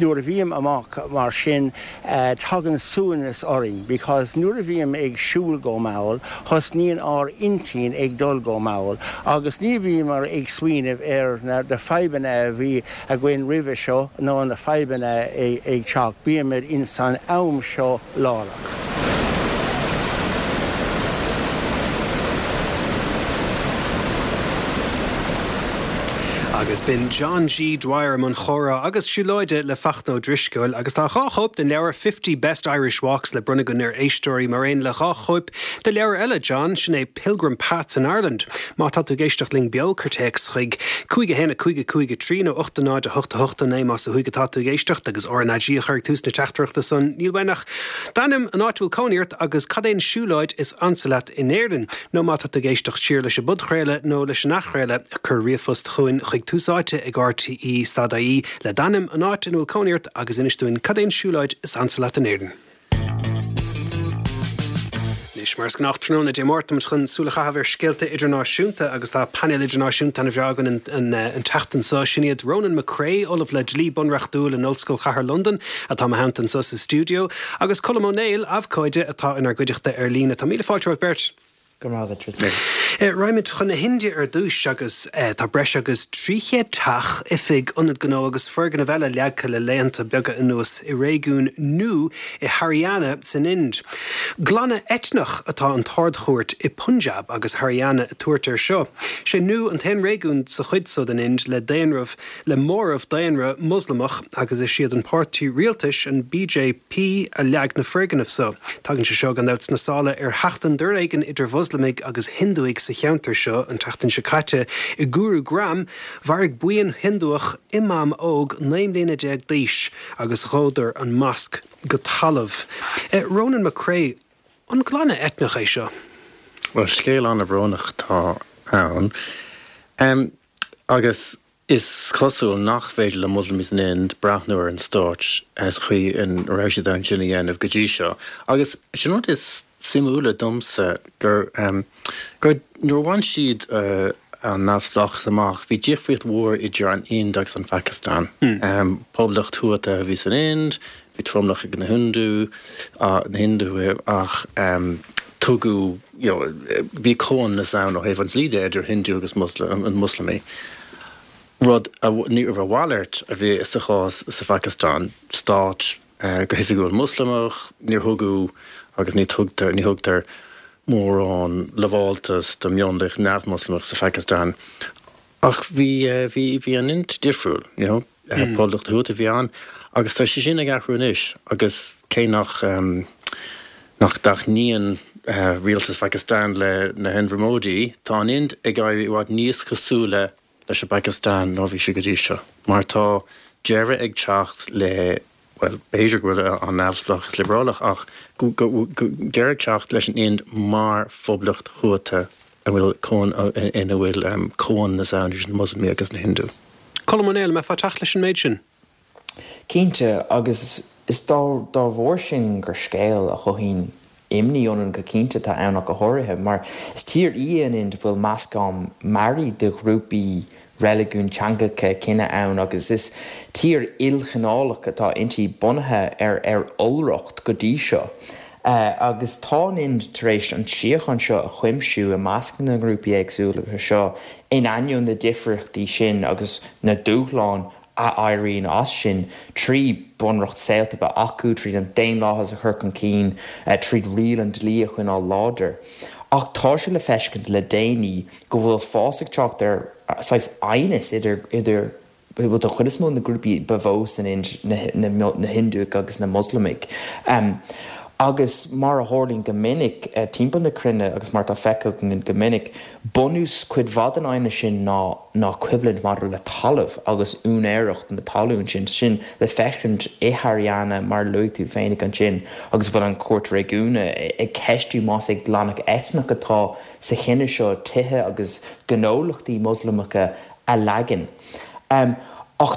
nuair a bhím amach mar sin tagann suaimhneas orainn because nuair a bhím ag siúl go mall, thosnaíonn ár intinn ag dul go mall agus ní bhíomar ag smaoineamh ar na fadhbanna a bhí againn roimhe seo nó na fadhbanna ag teacht, bímid in san am seo láithreach. Agus b'in John G. Dwyer i mbun comhrá agus siúlóide le Fachtna Ó Drisceoil agus tá dhá chóip den leabhar Fifty Best Irish Walks le bronnadh againn ar éisteoirí mar aon le dhá chóip de leabhar eile John, sin é Pilgrim Paths in Ireland. Má tá tú ag éisteacht linn beo cuir téacs chuig cúig a haon a cúig a cúig a trí nó ocht a náid a hocht a hocht a naoi más ó thuaidh atá tú ag éisteacht agus RnaG a chur ag tús na teachtaireachta san. Níl uainn ach d'ainm, an áit a bhfuil cónaí ort agus cad é an siúlóid is ansa leat in Éirinn. Nó má tá tú ag éisteacht siar leis an bpodchraoladh nó leis an athchraoladh, cuir ríomhphost chugainn chuig Tús Áite ag RTE stad IE le d'ainm, an áit ina bhfuil cónaí ort agus inis dúinn cad é an siúlóid is ansa leat in Éirinn. Anois mar is gnách tráthnóna Dé Máirt táimid chun súil a chaitheamh ar scéalta idirnáisiúnta agus tá painéal idirnáisiúnta ana bhreá againn an, an tseachtain seo. Sin iad Ronan McCrea, Ollamh le Dlí Bunreachtúil in Ollscoil Chathair Londan, atá i mo theannta anseo sa stiúideo, agus Colm Ó Néill, abhcóide atá inár gcuideachta ar líne. Tá míle fáilte romhaibh beirt. Go raibh maith agat. Raghaimid chun na hIndia ar dtús agus tá breis agus trí chéad teach, oifig, ionad gnó agus foirgneamh eile leagtha le laethanta beaga anuas i réigiún Nuh i Haryana san Ind. Glanadh eitneach atá an tArd-Chúirt i Punjab agus Haryana ag tabhairt air seo. Sé Nuh an t-aon réigiún sa chuid so den Ind le daonramh le móramh daonra Moslamach agus is iad an páirtí rialtais, an BJP, a leag na foirgnimh so. Tagann sé seo gan dabht sna sála ar sheachtain d'fhoréigean idir Mhoslamaigh agus Hinduaigh sa cheantar seo an tseachtain seo caite. I Gurugram, mharaigh buíon Hinduach imam óg naoi mbliana déag d'aois agus dhódar an masc go talamh. Ronan McCrea, an glanadh eitneach é seo? Bhuel, scéal an-bhrónach atá ann. Um, agus is cosúil nach féidir le Moslamaigh san Ind breathnú ar an stát sa chaoi a raibh siad ansin a dhéanamh go dtí seo. Agus sin rud is suimiúla domsa gur um, gur nuair a bhain siad uh, an neamhspleáchas amach, bhí difríocht mhór idir an Ind agus an Phacastáin. Mm. Um, poblacht thuata a bhí san Ind, bhí tromlach ag na Hindu, uh, na Hindu ach um, tugadh you know, bhí comhionannas ann ó thaobh an dlí de idir Hindu agus Muslim, an Muslamaigh. Rud a ní raibh a mhalairt a bhí sa chás sa Phacastáin, stát uh, go hoifigiúil Muslamach, níor thugadh agus ní thugtar ní thugtar mórán lamháltas do mhionlach neamh-Mhoslamach sa Phacastáin. Ach bhí uh, bhí bhí an Ind difriúil, you know, mm. poblacht thuata a bhí ann, agus tá sé sin ag athrú anois agus cé nach um, nach dtaitníonn uh, rialtas Phacastáin le Narendra Modi, tá an Ind ag éirí i bhfad níos cosúla leis an bPacastáin ná bhí sé go dtí seo. Mar tá deireadh ag teacht le well, b'fhéidir go bhfuil an neamhspleáchas liobrálach ach deireadh ag teacht leis an Ind mar phoblacht thuata a bhfuil ina bhfuil um, comhionannas ann idir na Muslamaigh agus na Hindu. Colm Ó Néill, an mbeifeá ag teacht leis an méid sin? Cinnte agus is dá dá bharr sin gur scéal a chothaíonn imní ionainn go cinnte atá ann ach go háirithe, mar is tír í an Ind bhfuil meascán mearaí de ghrúpaí reiligiún teangacha cine ann agus is tír ilchineálach atá inti bunaithe ar ar iolracht go dtí seo. Uh, agus tá an Ind tar éis an tsíocháin seo a chuimsiú i measc na ngrúpaí éagsúla seo in ainneoin na difríochtaí sin agus na dúshláin a éiríonn as sin trí bunreacht saolta a bheith acu tríd an daonlathas a chur chun cinn uh, tríd riail an dlí a choinneáil láidir. Ach tá sé le feiscint le déanaí go bhfuil fás ag teacht ar saghas aighneas idir idir bhfuil den chuid is mó na grúpaí ba mhó san Ind na, na, na Hinduaigh agus na Moslamaigh. Um, Agus mar a tharlaíonn go minic timpeall na cruinne agus mar atá feicthe againn go minic, bunús cuid mhaith den aighneas sin ná ná coimhlint maidir le talamh agus úinéireacht na talún sin, sin le feiscint i Haryana mar a luaigh tú féinig ansin agus a bhfuil an Chúirt Réigiúnach ag ceistiú más é glanadh eitneach atá sa chinneadh seo tithe agus gnólachtaí Moslamacha a leagan. Ach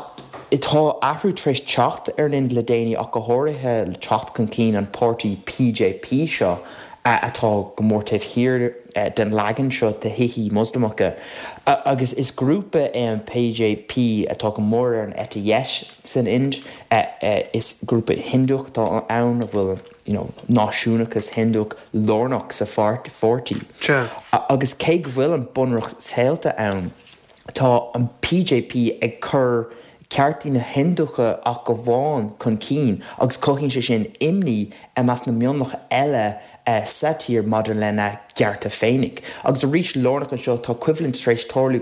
tá athrú tar éis teacht ar an Ind le déanaí ach go háirithe le teacht chun cinn an páirtí BJP seo atá go mór taobh thiar den leagan seo de thithe Moslamacha. Agus is grúpa é an BJP atá go mór ar an eite dheis san Ind. Is grúpa Hinduach atá ann a bhfuil you know, náisiúnachas Hinduach lárnach sa pháirtí. Agus cé go bhfuil an bunreacht saolta ann, tá an BJP ag cur ceartaí na Hinducha ach amháin chun cinn agus cothaíonn sé sin imní i measc na mionlach eile sa tír maidir lena gcearta féinig. Agus arís lárnach anseo tá coimhlint tar éis tarlú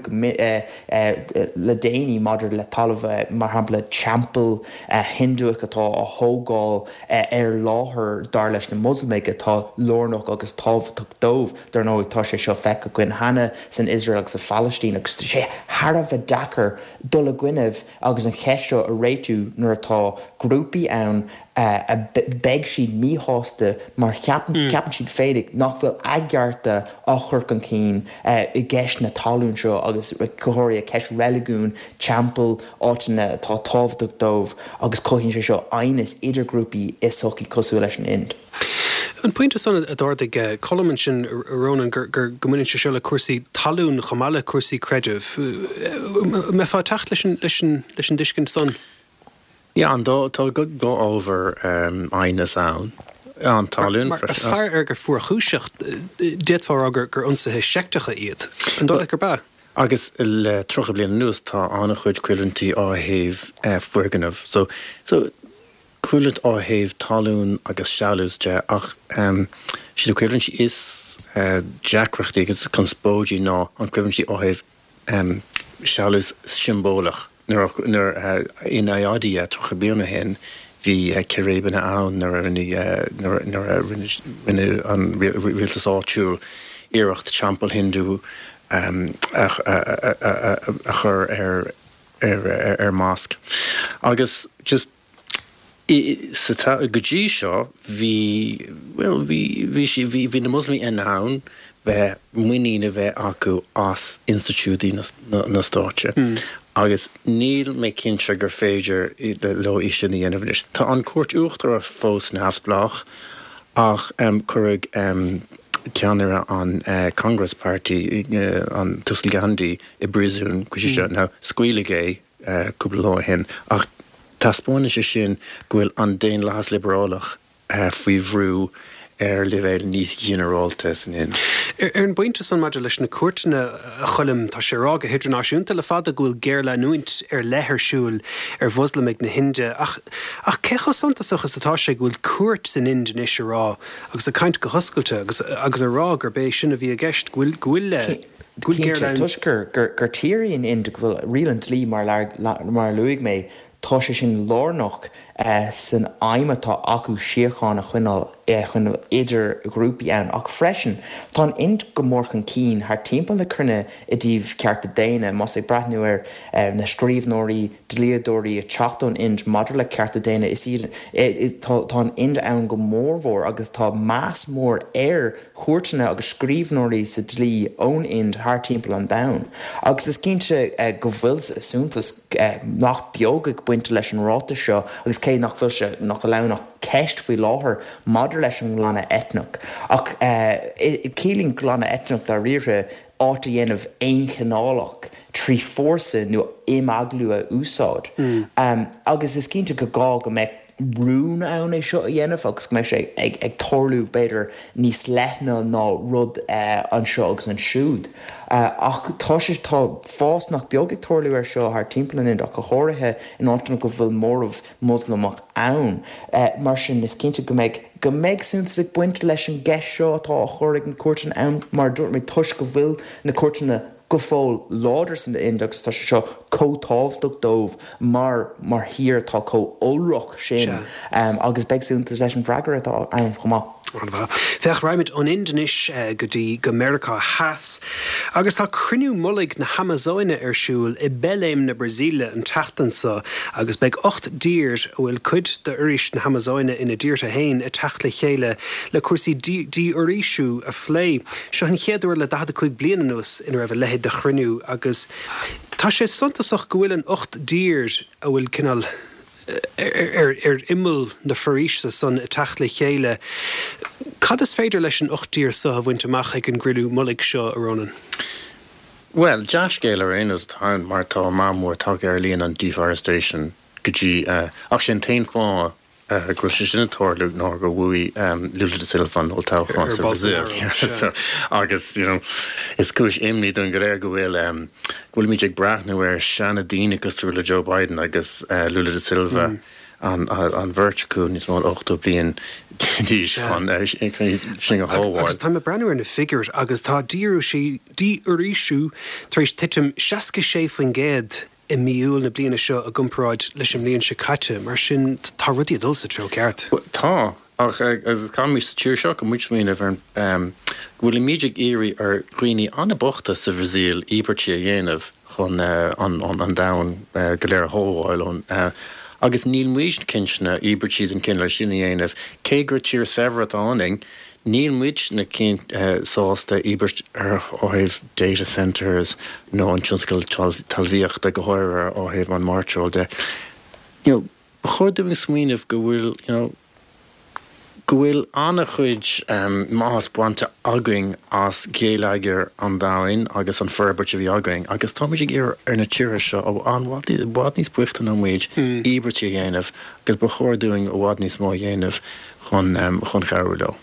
le déanaí maidir le talamh, mar shampla teampall Hinduach atá á thógáil ar láthair dar leis na Moslamaigh atá lárnach agus tábhachtach dóibh. Dar ndóigh tá sé seo feicthe againn cheana san Iosrael agus sa Phalaistín agus tá sé thar a bheith deacair dul i gcoinnibh agus an cheist seo a réitiú nuair atá grúpaí ann a beidh siad míshásta mar ceapann siad féinig nach bhfuil a gcearta á chur chun cinn i gceist na talún seo agus go háirithe ceist reiligiún, teampall, áiteanna atá tábhachtach dóibh agus cothaíonn sé seo aighneas idir grúpaí i sochaí cosúil leis an Ind. An pointe san a d'ardaigh Colm ansin, a Ronan, gur go mbaineann sé seo le cúrsaí talún chomh maith le cúrsaí creidimh. An mbeifeá ag teacht leis an dtuiscint san? Yeah, an dá, tá dhá ábhar aighneas ann, an talún Mar fear ar gur fuarchúiseach, d'fhéadfá a rá gur ionsaithe seicteacha iad. An dóigh leat gurb ea? Agus le tríocha bliain anuas tá an-chuid coimhlintí ó thaobh foirgneamh. So, so coimhlint ó thaobh talún agus sealús de ach siad na coimhlintí is deacrachtaí agus conspóidí ná an coimhlintí ó thaobh sealús siombalach. Nuair in Ayodhya tríocha bliain ó shin bhí círéibeanna ann nuair a nuair a rinne an rialtas áitiúil iarracht teampall Hindu a chur ar ar mosque. Agus just sa go dtí seo bhí bhuel bhí bhí sí bhí bhí na Muslamaigh in ann bheith muinín a bheith acu as institiúidí na na stáite agus níl mé cinnte gur féidir leo é sin a dhéanamh anois. Tá an Cúirt Uachtarach fós neamhspleách ach cuireadh ceannaire an Congress Party an tUasal Gandhi i bpríosún go dtí seo. Now scaoileadh é cúpla lá ó shin ach taispeánann sé sin go bhfuil an daonlathas liobrálach faoi bhrú ar leibhéal níos ginearálta san Ind. Ar an bpointe san maidir leis na cúirteanna, a Choilm, tá sé á rá go hidirnáisiúnta le fada go bhfuil géarleanúint ar leith ar siúl ar Mhoslamaigh na hInde, ach ach cé chomh suntasach is atá sé go bhfuil cúirt san Ind anois a rá, agus ag caint go hoscailte, agus agus a rá gurb é sin a bhí i gceist, go bhfuil go bhfuil go bhfuil géarleanúint. Toisc gur gur tír í an Ind go bhfuil riail an dlí mar mar a luaigh mé, Tá sé sin lárnach san aidhm atá acu síocháin a choinneáil idir ghrúpaí ann. Ach freisin, tá an Ind go mór chun cinn thar timpeall na cruinne i dtaobh cearta daonna. Más ag breathnú ar na scríbhneoirí, dlíodóirí ag teacht ón Ind maidir le cearta daonna, is iad, tá an Ind ann go mórmhór agus tá meas mór ar chúirteanna agus scríbhneoirí sa dlí ón Ind thar timpeall an domhain. Agus is cinnte go bhfuil suntas nach beag ag baint leis an ráiteas seo agus cé nach bhfuil sé, nach bhfuil ann ach ceist faoi láthair maidir leis an nglanadh eitneach. Ach ciallaíonn glanadh eitneach dáiríre áit a dhéanamh aonchineálach trí fórsa nó imeaglú a úsáid. Agus is cinnte go gá go mbeadh rún ann é seo a dhéanamh agus go mbeidh sé ag tarlú b'fhéidir níos leithne ná rud anseo agus ansiúd. Ach tá sé, tá fás nach beag ag tarlú air seo thar timpeall an Ind ach go háirithe in áiteanna go bhfuil móramh Moslamach ann. Mar sin is cinnte go mbeidh, go mbeidh suntas ag baint leis an gceist seo atá á chur ag na cúirteanna ann mar a dúirt mé toisc go bhfuil na cúirteanna go fóill láidir san Ind agus tá sé seo chomh tábhachtach dóibh mar mar thír atá chomh iolrach sin agus beidh suntas leis an bhfreagra atá ann chomh maith. An-mhaith. Féach, raghaimid ón Ind anois go dtí go Meiriceá Theas agus tá cruinniú mullaigh na hAmazóine ar siúl i Belém na Brasaíle an tseachtain seo agus beidh ocht dtír a bhfuil cuid d'fhoraois na hAmazóine ina dtíortha féin ag teacht le chéile le cúrsaí dífhoraoisiú a phlé. Seo an chéad uair le daichead a cúig bliain anuas ina raibh a leithéid de chruinniú agus tá sé suntasach go bhfuil an ocht dtír a bhfuil cineál ar imeall na foraoise san ag teacht le chéile. Cad is féidir leis an ocht dtír seo a bhaint amach ag an gcruinniú mullaigh seo, a Ronan? Bhuel, dea-scéal ar aon nós atá ann mar tá meath mór tagtha ar líon an deforestation go dtí ach sé an t-aon fáth go bhfuil sé sin ag tarlú ná gur bhuaigh Lula da Silva an olltoghchán sa Bhrasaíl. Agus you know is cúis imní dúinn go léir go bhfuil go bhfuilimid ag breathnú ar seandaoine cosúil le Joe Biden agus Lula da Silva an an bheirt acu níos mó ná ochtó bliain d'aois chun sin a shábháil. Agus táim ag breathnú ar na figiúirí agus tá dífhoraoisiú tar éis titim seasca sé faoin gcéad i mí Iúil na bliana seo i gcomparáid leis an mbliain seo caite. Mar sin, tá rudaí ag dul sa treo ceart. Tá, ach caithfimid sa tír seo go muid smaoineamh ar go bhfuilimid ag iarraidh ar dhaoine an-bhochta sa Bhrasaíl íobairtí a dhéanamh chun an domhan go léir a shábháil ón agus níl muid cinnte íobairtí den chineál sin a dhéanamh cé gur tír saibhir atá ionainn. Níl muidne sásta íobairt ar ó thaobh data centres nó an tionscal talmhaíochta, go háirithe ó thaobh an mhairteoil de. You know, ba chóir dúinn smaoineamh go bhfuil, you know, go bhfuil an-chuid maitheas bainte againn as geilleagar an domhain agus an forbairt a bhí againn agus táimid ag iarraidh ar na tíortha seo ó an i bhfad níos boichte ná muid íobairtí a dhéanamh agus ba chóir dúinn i bhfad níos mó a dhéanamh chun chun cabhrú leo.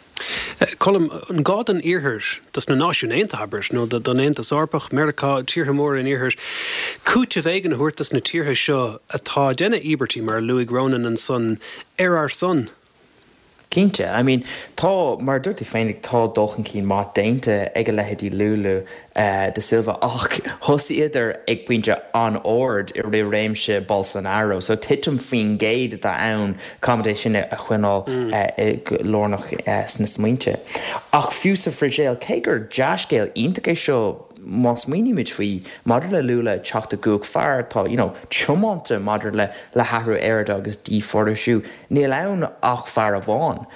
Colm, an gá don Iarthar, dos na Náisiúin Aontaithe, abair, nó don Aontas Eorpach, Meiriceá, tíortha móra an Iarthair, cúiteamh éigin a thabhairt dos na tíortha seo atá ag déanamh íobairtí, mar a luaigh Ronan ansan, ar ár son? Cinnte. I mean, tá, mar a dúirt tú féin, tá dul chun cinn maith déanta ag a leithéidí Lula da Silva ach thosaíodar ag pointe an-ard i rith réimse Bolsonaro. So titim faoin gcéad atá ann, caithfimid é sin a choinneáil lárnach sna smaointe. Ach fiú sa Bhrasaíl, cé gur dea-scéal iontach é seo má smaoinímid faoi maidir le Lula ag teacht i gcumhacht, fear atá you know tiomanta maidir le le hathrú aeráide agus dífhoraoisiú, níl ann ach fear amháin.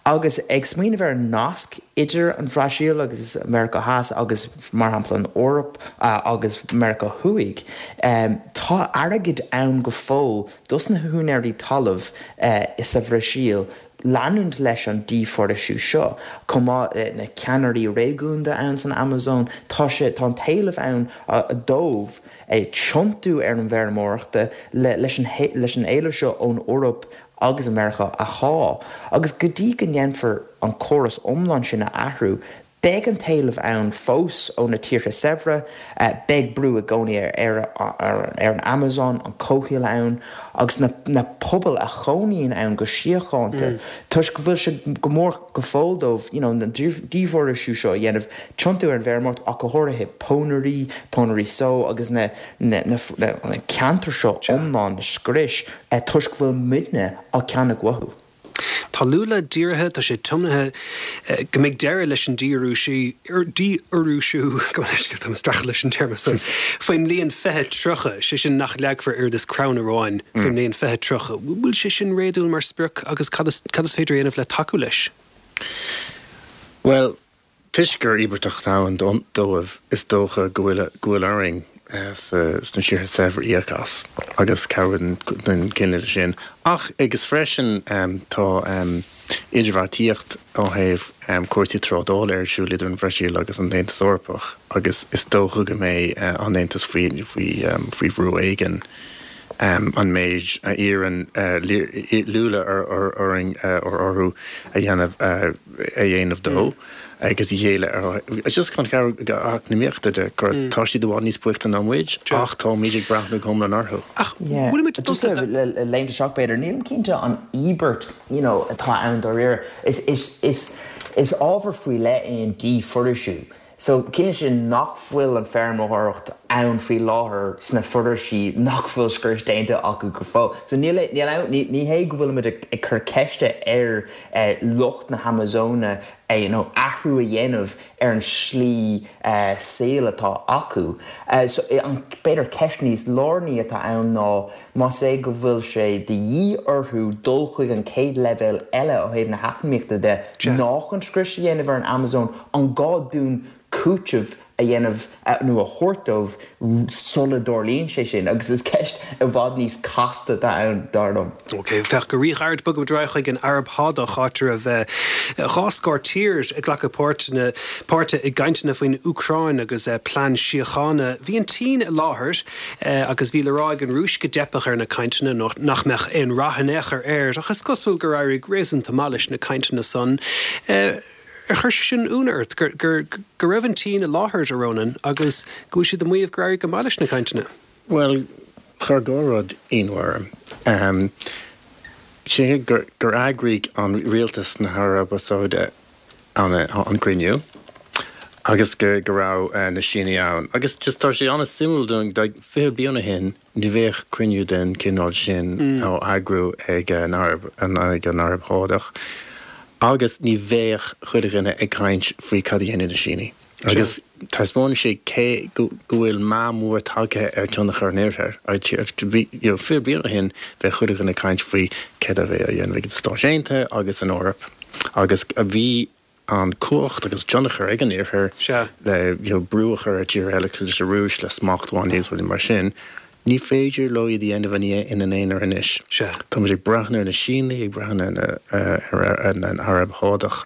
Agus ag smaoineamh ar an nasc idir an Bhrasaíl agus Meiriceá Theas agus mar shampla an Eoraip agus Meiriceá Thuaidh, tá airgead ann go fóill dos na húinéirí talaimh sa Bhrasaíl leanúint leis an dífhoraoisiú seo. Chomh maith le na ceannairí réigiúnda ann san Amazon, tá sé, tá an t-éileamh ann dóibh tiontú ar an bhfeirmeoireachta leis an leis an éileamh seo ón Eoraip agus Meiriceá a shá. Agus go dtí go ndéanfar an córas iomlán sin a athrú, beidh an t-éileamh ann fós ó na tíortha saibhre, beidh brú i gcónaí ar ar an Amazon, an comhshaol ann agus na na pobail a chónaíonn ann go síochánta toisc go bhfuil sé go mór go fóill dóibh you know an dífhoraoisiú seo a dhéanamh, tiontú ar an bhfeirmeoireacht ach go háirithe pónairí, pónairí só agus na na na ceantair seo iomlán a scrios toisc go bhfuil muidne á ceannach uathu. Tá Lula dírithe, tá sé tiomnaithe go mbeidh deireadh leis an dífhoraoisiú, gabh mo leithscéal, táim ag streachailt leis an téarma san, faoin mbliain fiche tríocha, sé sin nach leagfar oiread is crann amháin faoin mbliain fiche tríocha. Bhfuil sé sin réadúil mar sprioc agus cad is cad is féidir a dhéanamh le tacú leis? Bhuel, Toisc gur íobartach atá ann dóibh, is dócha go bhfuil go bhfuil orainn sna tíortha saibhre íoc as agus cabhrú den chineál sin. Ach agus freisin tá idirbheartaíocht ó thaobh cúrsaí trádála ar siúl idir an Bhrasaíl agus an tAontas Eorpach agus is dócha go mbeidh an Aontas faoi faoi bhrú éigin an méid a iarrann Lula orainn orthu a dhéanamh a dhéanamh dó agus a ghéilleadh ar just chun cabhrú eacnamaíochta de gur tá siad i bhfad níos boichte ná muid ach táimid ag breathnú go hiomlán orthu. Ach bhfuilimid Just le léimt isteach b'fhéidir, nílim cinnte an íobairt you know atá ann dáiríre. Is is is is ábhar faoi leith é an dífhoraoisiú. So ciallaíonn sin nach bhfuil an feirmeoireacht ann faoi láthair sna foraoisí nach bhfuil scrios déanta acu go fóill. So níl níl ann ní ní hé go bhfuilimid ag ag cur ceiste ar eh, lucht na hAmazóine eh, you know, athrú a dhéanamh ar an slí eh, saoil atá acu. Eh, so, eh, an b'fhéidir ceist níos lárnaí atá ann ná más é go bhfuil sé de dhíth orthu dul chuig an chéad leibhéal eile ó thaobh na heacnamaíochta de ná chun scrios a dhéanamh ar an Amazon an gá dúinn cúiteamh a dhéanamh nó a thabhairt dóibh sula dtarlaíonn sé sin agus is ceist i bhfad níos casta atá ann dar liom. Ok, féach go ríghairid bogaimid ar aghaidh chuig an Araib Shádach áit a raibh dhá scór tír ag glacadh páirt páirte i gcainteanna faoin Úcráin agus plean síochána. Bhí an tSín i láthair agus bhí le rá ag an Rúis go dteipfeadh ar na cainteanna nó nach mbeadh aon rath in aon chor air, ach is cosúil gur éirigh réasúnta maith leis na cainteanna san. Ar chuir sé sin ionadh ort gur gur go raibh an tSín i láthair a Ronan agus go bhfuil siad ag maíomh gur éirigh go maith leis na cainteanna? Well, chuir dhá rud ionadh orm. Um, sé gur, gur eagraigh an rialtas na hAraibe Sáide an, an cruinniú agus go, go raibh uh, na Sínigh ann. Agus just tá sé an-suimiúil dúinn fiche bliain ó shin ní bheadh cruinniú den cineál sin mm. á eagrú ag an Araib, an, ag an Araib Shádach. Agus ní bheadh chuile dhuine ag caint faoi cad a dhéanfaidh na Sínigh. Agus taispeánann sé cé go bhfuil meath mór tagtha ar tionchar an Oirthir. Fiche bliain ó shin bheadh chuile dhuine ag caint faoi céard a bheadh á dhéanamh ag na Stáit Aontaithe agus an Eoraip. Agus a bhí an cumhacht agus tionchar ag an Oirthear le you know, brú a chur ar tír eile leis an Rúis le smachtbhannaí is rudaí mar sin. Ní féidir leo iad a dhéanamh ina n-aonar anois. Tá muid ag breathnú ar na Sínigh, ag breathnú ar an Araib Shádach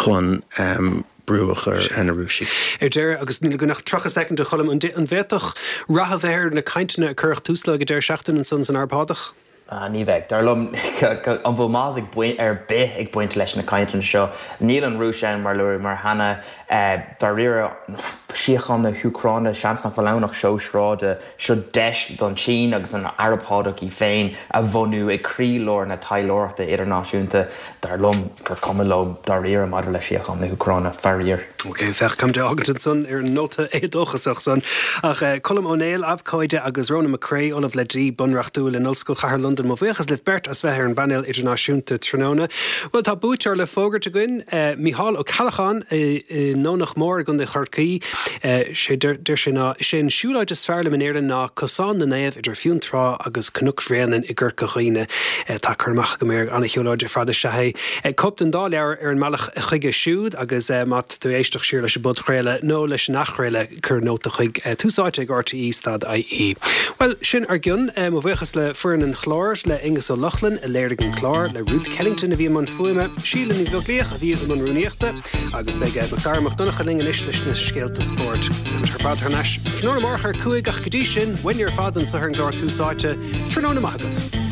chun um, brú a chur ar na Rúisigh. Ar deireadh agus níl againn ach tríocha soicind a Choilm an bhféadfadh rath a bheith ar na cainteanna a cuireadh tús leo ag an deireadh seachtaine ansan san Araib Shádach? Ah, ní bheidh. Dar liom an bhfuil maitheas ag baint ar bith ag baint leis na cainteanna seo. Níl an Rúis ann mar luaigh mar cheana dáiríre síocháin na hÚcráine seans nach bhfuil ann ach seó sráide seo deis don tSín agus an Araib Shádach í féin a bhunú ag croílár na taidhleoireachta idirnáisiúnta dar liom gur cuma leo dáiríre maidir le síocháin na hÚcráine faraor. Ok, féach caithfimid é fhágaint ansan ar an nóta éadóchasach san ach Colm Ó Néill abhcóide agus Ronan McCrea Ollamh le Dlí Bunreachtúil in Ollscoil Chathair Londan mo bhuíochas libh beirt as bheith ar an bpainéal idirnáisiúnta tráthnóna. Well tá buaiteoir le fógairt againn Micheál Ó Ceallacháin i nDomhnach Mór i gContae Chorcaí sé deir sé ná sé an siúlóid is fearr liom in Éirinn ná Cosán na Naomh idir Fionntrá agus Cnoc Bhréanainn i gCorca Dhuibhne. Tá cur amach agam air an-shiúlóid ar fad is ea é. Cóip den dá leabhar ar an mbealach chuige siúd agus má tá tú ag éisteacht siar leis an bpodchraoladh nó leis an athchraoladh cuir nóta chuig Tús Áite ag RTE stad IE. Well sin ár gcionn mo bhuíochas le foireann an chláir le Aonghus Ó Lochlainn a léirigh an clár le Ruth Kellington a bhí i mbun fuaime, Síle Ní Bheaglaoich a bhí i mbun rúnaíochta agus beidh Macdara Mac Donncha linn anois leis na scéalta spóirt. Ar fad thar n-ais. Tráthnóna amárach ar cúig ach go dtí sin, uainne ar fad anseo ar an gclár Tús Áite, tráthnóna maith agat.